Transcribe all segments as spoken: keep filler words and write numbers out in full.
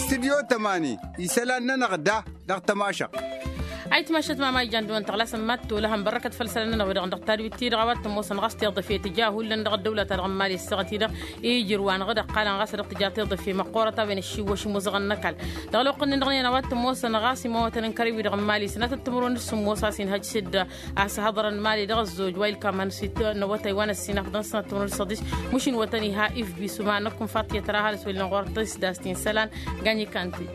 Stidyo tămani isălan-nănăɣ da dăɣ-tămašăɣt. Ayǝtmašăt mama ijan dăɣ-wăn tăɣlasăn mad-tolăhăn bărrăkăt făll-isălan-nănăɣ-wi-dăɣ dăɣ-tadwit-ti-dăɣ a-wa t-ămoosăn ɣas tiḍăfe tǝja hullan dăɣ-ăddăwla-ta-dăɣ n-imali ăssaɣăt-i-dăɣ ijrǝw-anăɣ-dd ăqqalăn ɣas dăɣ-tǝja tiḍăfe măqqoorăt a-wen ăššiwwăš imuzăɣăn n-ăkall. Dăɣ-ălwăqq-nin-dăɣ n-iyyăn a-wa t-ămoosăn ɣas imawătăn n-kărăy-wi-dăɣ n-imali sănatăt timǝrwen d-sǝmmos a-s inhăj s-dd-asǝhăḍărăn imali dăɣ-ăzzoj wa ilkaman s-itnăwătay wa n-ăssinafḍăn sănatăt timǝrwen d-săḍis. Măšin wătăn iha ifbi s-uman năkk n-faṭiyăt ra ăhalǝs wăllen ɣur-tăsdast-in isălan. Gañ ikan-t-wi.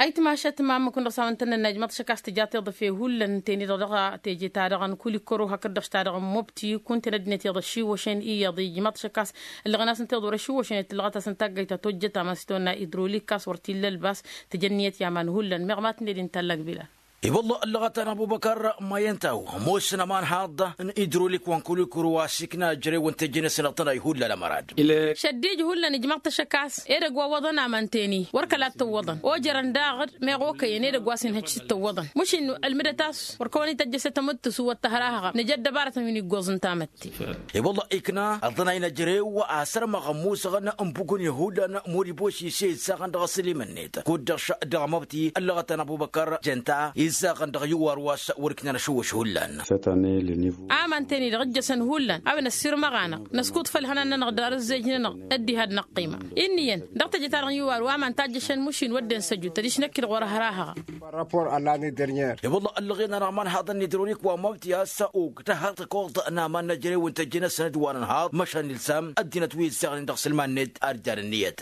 Ayǝtmašăt ma ǝmmǝk-win-dăɣ s-a-wen tăn-nănna ijmăḍ-t šăkk a-s tǝja tiḍăfe hullan ǝnta-en-i-dăɣ dăɣ-teje-ta-dăɣ n-kulikăro hakd-dăɣ s-ta-dăɣ n-mobti kunta n-ăddinăt iyyăḍ ăššiwwăšăn iyyăḍ ijmăḍ-t šăkk a-s ǝllăɣăn-asăn tiḍăwăr ăššiwwăšăn i-tǝllăɣăt a-s n-taggayt ta tojjăt aman s-tăwănna idrolik a-s wăr t-illa ălbas. Tǝjănniyăt i-aman hullan meɣ ma tǝnned-in tallak bila. I-wălla ăllăɣăt-anăɣ bubăkăr mayăn-taw ămoosăn ămanhaḍ n-idrolik wa n-kulikăro a-s ikna ăjrewăn n-teje-năsăn iḍtănay hullan ămărad. Šăddij hullan ijmăḍ-t ăššăk a-s edăgg wa ǝwwăḍăn aman teni wăr kăla t-ǝwwăḍăn ojărăn daɣ-dd meɣ okăyăn edăgg wa s-inhăj s-t-ǝwwăḍăn măšin ălmǝdăt a-s wăr kăwăn-ităjjăš s-tămǝttǝsu wăr tăhrahăɣăm nǝja ăddăbarătăn wi n-iggoẓ n-tamătte. I-wălla ikna ăḍnay n-ăjrew a sărmăɣ ămmusăɣăn n-bugun ihullan muriboši s-e-ǝzzaɣăn dăɣ-asǝlim-net kud-dăɣ dăɣ-măbti ăllăɣăt-anăɣ bubăkăr jănta izzaɣăn dăɣ-iwar wa s-wăr iknan ašăwwăš hullan. Aman teni-dăɣ ǝjjăsăn hullan a-wen ăssirmăɣ-anăɣ năskuḍ făll-ihănan-nănăɣ d-arǝzzejnen-năɣ ăddihad n-ăqqima. Inn'-iyyăn dăɣ-teje-ta-dăɣ n-iwar wa aman tajjăšăn măšin wădden săju tădiš năkk-i-dăɣ wăr hărahăɣa. I-wălla ăllăɣen-anăɣ imanhaḍăn n-idrolik wa măbti a-s ugdăhăḍ tăkoḍ n-aman n-ejărew n-tăjje-năsăn d-wa n-ănhaḍ măšan ilsam ăddinăt wi ǝzzaɣnen dăɣ-isǝlman-net. Ar dd-ad-ǝnniyăt.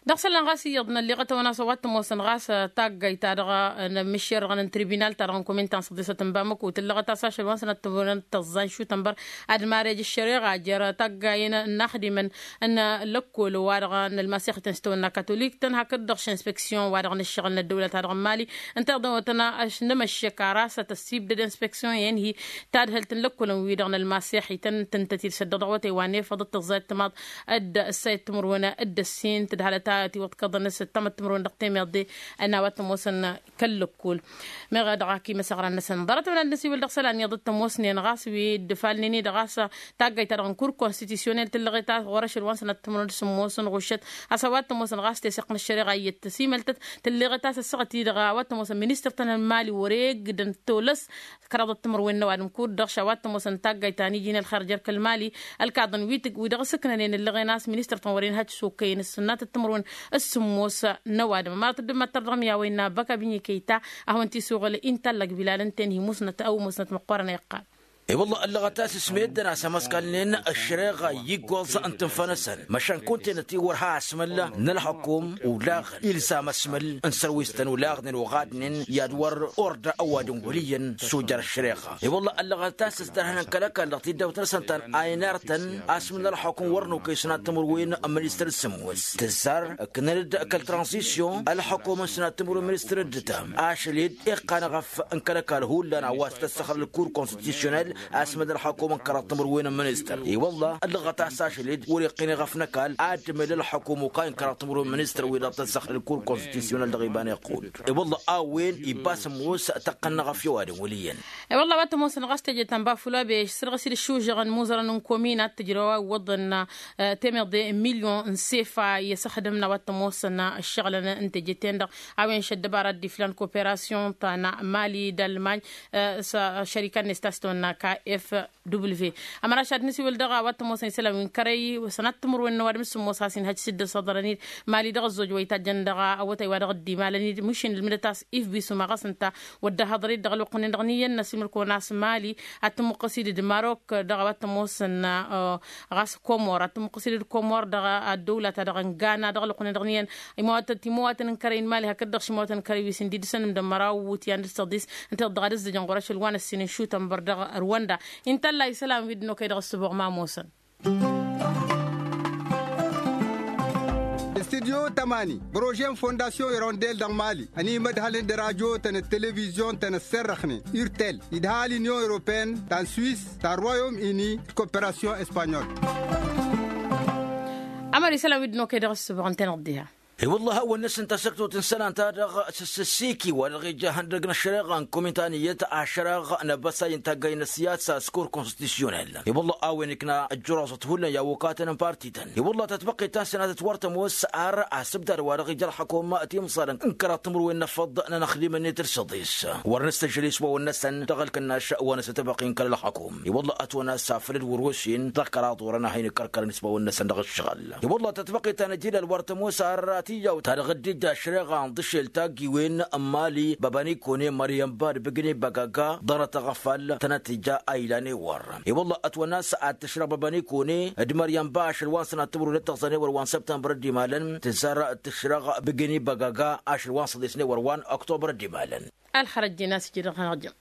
Dăɣ-isălan ɣas iyyăḍ n-ălliɣăt-awăn a-s a-wa t-ămoosăn ɣas taggayt-ta-dăɣ n-ămmǝššerrăɣăn n-tribinal-ta-dăɣ n-komin ta n-săḍisăt n-bamăko tǝllăɣăt a-s ašăl wa n-sănăt timǝrwen tăẓẓa n-šutănbăr ad-marej ăššăreɣa jer-taggayen n-inaxdimăn n-lăkkol wa-dăɣ n-ălmasixăten s-tawănna katolik-tăn hakd-dăɣ š-inspeksyon wa-dăɣ n-ǝššăɣǝl n-ăddăwlăt-ta-dăɣ n-mali ǝnta i-dăɣ-wătăn. Ăšnămăššek ar asăt ăssibdăd inspeksyon i-inhi tadhǝlt n-lăkkolăn-wi-dăɣ n-ălmasex ităn-tǝntăt-dd s-ăddăɣ dăɣ-awătay wa n-efăḍ d-tăẓẓayăt timaḍ d-ǝssayăt timǝrwen d-ǝssin tǝdhalăt a tiwăḍkăḍăn s-ăttămăt timǝrwen dăɣ-temeḍe. Ănn a-wa t-ămoosăn kăl-lăkkol meɣ dăɣ-ak imăsăɣran-năsăn ḍarăt-wen ad-nǝsiwǝl dăɣ-isălan iyyăḍ t-ămoosnen ɣas wi dd-ǝfalnen-i-dăɣ a-s taggayt-ta-dăɣ n-kur konstitisyonel tǝllăɣet a-s ɣur-ašăl wa n-sănat timǝrwen d-sǝmmos n-ɣuššăt a-s a-wa t-ămoosăn ɣas teseɣt n-ăššăreɣa iyyăt tăsimăltăt tǝlleɣăt a-s ăssaɣăt-i-dăɣ a-wa t-ămoosăn ministăr-tăn n-mali wăr-eggǝdăn tolăs. Kăraḍăt timǝrwen n-ăwadǝm kud-dăɣ š-a-wa t-ămoosăn taggayt ta n-iji n-ălxer jer-kăl-mali ălkaḍăn wi-tǝg wi-dăɣ s-ǝknănen ǝllăɣen a-s ministăr-tăn wăren hăj s-okăyăn s-sǝnnatăt timǝrwen s-sǝmmos n-ăwadǝm ămărăt dd-măttăr dăɣ-mi a-wa innă băkk abinyǝkăy ta. A hawăn-t-isuɣǝl inta ăllăg bilalăn-ten hi-musnăt ăw musnăt măqqoorăn a iqqal. I-wălla ăllăɣăt a-s ǝsmeddăn a-s ămăskalnen ăššăreɣa i-iggoẓ n-tǝnfa-năsăn măšan kunta-enăt i-wăr ha-asmǝl n-ălxukum ulaɣ ilzam asmǝl n-sărwis-tăn ulaɣnen oɣadnen i-ad-wăr orda ăwadǝm wăl' iyyăn s-ojăr ăššăreɣa. I-wălla ăllăɣăt a-s ǝstărhănăn kăl-ăkall dăɣ-tiddawt-năsăn ta n-aynar-tăn asmǝl n-ălxukum wăr nokăy sănat timǝrwen n-ministăr d-sǝmmos tǝzzar ǝknăn-dd kăl-tranzisyon ălxukum n-sănat timǝrwen ministăr d-ǝttam ašăl-dd iqqan ɣăf n-kăl-ăkall hullan a-wa s-tăssăxrăl kur konstitusyonel asmǝl n-ălxukum n-kăraḍ timǝrwen n-ministăr i-wălla ăllăɣăt a-s ašăl-dd wăr-iqqǝn iɣăf n-ăkall ad-dd-mel ălxukum okay n-kăraḍ timǝrwen n-ministăr wi-dăɣ tăssăxrăl kur konstitusyonel dăɣ-iba n-iqqul. I-wălla a-wen ibas ămoos tăqqăn-năɣ ăf i-ăwadǝm wăl' iyyăn. I-wălla a-wa t-ămoosăn ɣas teje ta n-bafula be săr-ɣăs-dd ǝššužăɣăn imuzărăn n-komin ad-t-ǝjrăw a iwwăḍăn temăḍe n-milyon n-sefa i-ăsăxdǝmna a-wa t-ămoosăn ǝššăɣǝlăn n-teje-ten-dăɣ a-wen šăddăbara dd-iflan koperasyon ta n-mali d-almany s-šărika-net ta s-tăwănna ka f w. Ămăraš ad-nǝsiwǝl dăɣ-a-wa t-ămoosăn isălan wi n-kărăy sănat timǝrwen n-ăwadǝm s-sǝmmos a-s inhăj s-dd-ăsăḍărăn-dd mali dăɣ-ăzzoj wa itajjăn dăɣ-awătay wa dăɣ-dd-imalăn-dd măšin ǝlmǝdăt a-s ifbi s-umaɣăs ǝnta wădden haḍăr-dd dăɣ-ălwăqq-nin-dăɣ n-iyyăn n-asǝlmǝl-kăwăn a-s mali ad-tǝmmuqqǝs-dd d-marok dăɣ-a-wa t-ămoosăn ɣas komor ad-tǝmmuqqǝs-dd komor dăɣ-ăddăwla ta dăɣ-n gana dăɣ-ălwăqq-nin-dăɣ n-iyyăn imawatăn timawatăn n-kărăy n-mali hakd-dăɣ šimawatăn n-kărăy wi s-ǝndidǝsăn ǝmdăn măraw iwǝtyan d-săḍis ǝnta-i-dăɣ dăɣ-ad-ǝzzăjăn ɣur-ašăl wa n-ǝssin n-išutăn băr dăɣ-rwanda. Inta ălla isălan wi dd-nokăy dăɣ-ǝssǝboɣ ma ămoosăn. Studyo tămani bărože n-fondasyon irondel dăɣ-mali ănimădhălăn d-rajotăn d-televizyon-tăn ăsserrăxnen urtel idhal inyon europeen ta n-swis ta n-royom ini d-koperasyon espanyol. Ămări isălan wi dd-nokăy dăɣ-ǝssǝboɣ ǝnta-i-dăɣ diha. I-wălla a hawăn-năsăn tasăktut n-isălan-ta-dăɣ s-ǝssǝssiki wa dăɣ-ija ihăndăg n-ăššăreɣa n-kuminta n-iyyăt ašrăɣ n-abăsay n-taggay n-ăssiyasa s-kur konstitusyonal. I-wălla a-wen ikna ăjjăroẓăt hullan i-awukatăn n-parti-tăn. I-wălla tatbăqqit ta n-sănatăt wăr tămoos ar asǝbdad wa dăɣ-ija ălxăkum timẓalăn n-kăraḍ timǝrwen n-efăḍ n-anăxdimăn-net d-săḍis wăr nǝstăžžăl ismawăn-năsăn dăɣ-ălkănnaš wa n-asătăbăqqi n-kăl-ălxăkum. I-wălla ătwănna s-afăl d-wăr-osen dăɣ-kăraḍ orăn a hin-ǝkkărkărăn ismawăn-năsăn dăɣ-ǝššăɣǝl. I-wălla tatbăqqit ta n-ăjilal wăr tămoos ar tiyyaw ta dăɣ-dd-ija ašreɣa n-iḍǝšel taggiwen n-mali băbănikone măryănba d-bǝgǝni băgaga ḍarăt aɣăfal tănăt-tija a ilan ewăr. I-wălla ătwănna s-ad-tǝšrăɣ băbănikone d-măryănba ašăl wa n-sănat timǝrwen d-tăɣẓăn ewăr wa n-săbtămbăr d-imalăn tǝzzar tǝšrăɣ bǝgǝni băgaga ašăl wa n-săḍisăn ewăr wa n-oktobăr d-imalăn. Ălxărăt jina s-ijǝdăɣ hanăɣ-jăm.